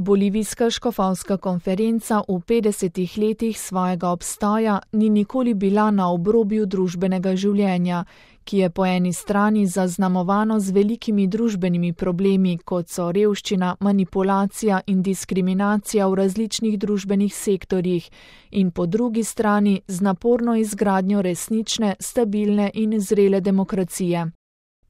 Bolivijska škofovska konferenca v 50 letih svojega obstoja ni nikoli bila na obrobju družbenega življenja, ki je po eni strani zaznamovano z velikimi družbenimi problemi, kot so revščina, manipulacija in diskriminacija v različnih družbenih sektorjih, in po drugi strani z naporno izgradnjo resnične, stabilne in zrele demokracije.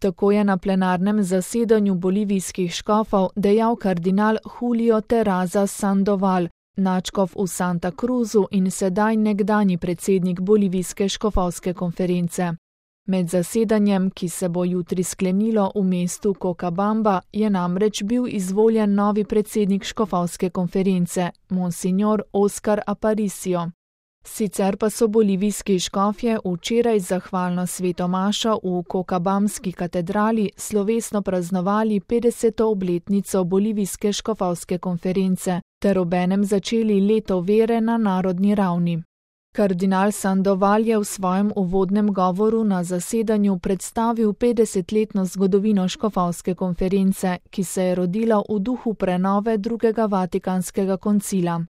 Tako je na plenarnem zasedanju bolivijskih škofov dejal kardinal Julio Terraza Sandoval, nadškof v Santa Cruzu in sedaj nekdanji predsednik bolivijske škofovske konference. Med zasedanjem, ki se bo jutri sklenilo v mestu Cochabamba, je namreč bil izvoljen novi predsednik škofovske konference, monsignor Oscar Aparicio. Sicer pa so bolivijski škofje včeraj zahvalno svetomašo v Cochabamski katedrali slovesno praznovali 50. obletnico bolivijske škofovske konference ter obenem začeli leto vere na narodni ravni. Kardinal Sandoval je v svojem uvodnem govoru na zasedanju predstavil 50-letno zgodovino škofovske konference, ki se je rodila v duhu prenove drugega Vatikanskega koncila.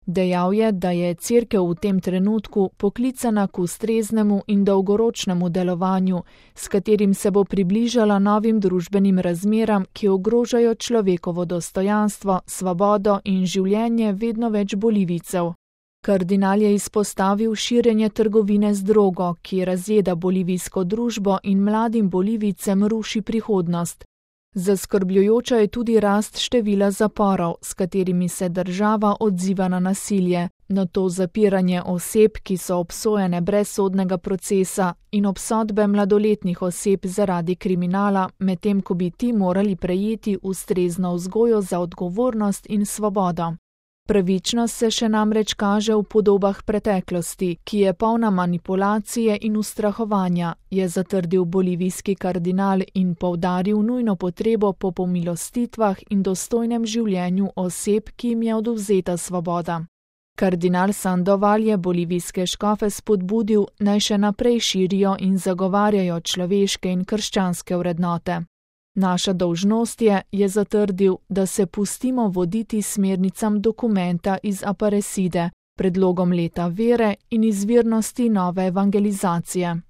Dejal je, da je Cerkev v tem trenutku poklicana k ustreznemu in dolgoročnemu delovanju, s katerim se bo približala novim družbenim razmeram, ki ogrožajo človekovo dostojanstvo, svobodo in življenje vedno več Bolivijcev. Kardinal je izpostavil širjenje trgovine z drogo, ki razjeda bolivijsko družbo in mladim Bolivijcem ruši prihodnost. Zaskrbljujoča je tudi rast števila zaporov, s katerimi se država odziva na nasilje, na to zapiranje oseb, ki so obsojene brez sodnega procesa, in obsodbe mladoletnih oseb zaradi kriminala, medtem ko bi ti morali prejeti ustrezno vzgojo za odgovornost in svobodo. Pravičnost se še namreč kaže v podobah preteklosti, ki je polna manipulacije in ustrahovanja, je zatrdil bolivijski kardinal in poudaril nujno potrebo po pomilostitvah in dostojnem življenju oseb, ki jim je odvzeta svoboda. Kardinal Sandoval je bolivijske škofe spodbudil, naj še naprej širijo in zagovarjajo človeške in krščanske vrednote. Naša dolžnost je zatrdil, da se pustimo voditi smernicam dokumenta iz Aparecide, predlogom leta vere in izvirnosti nove evangelizacije.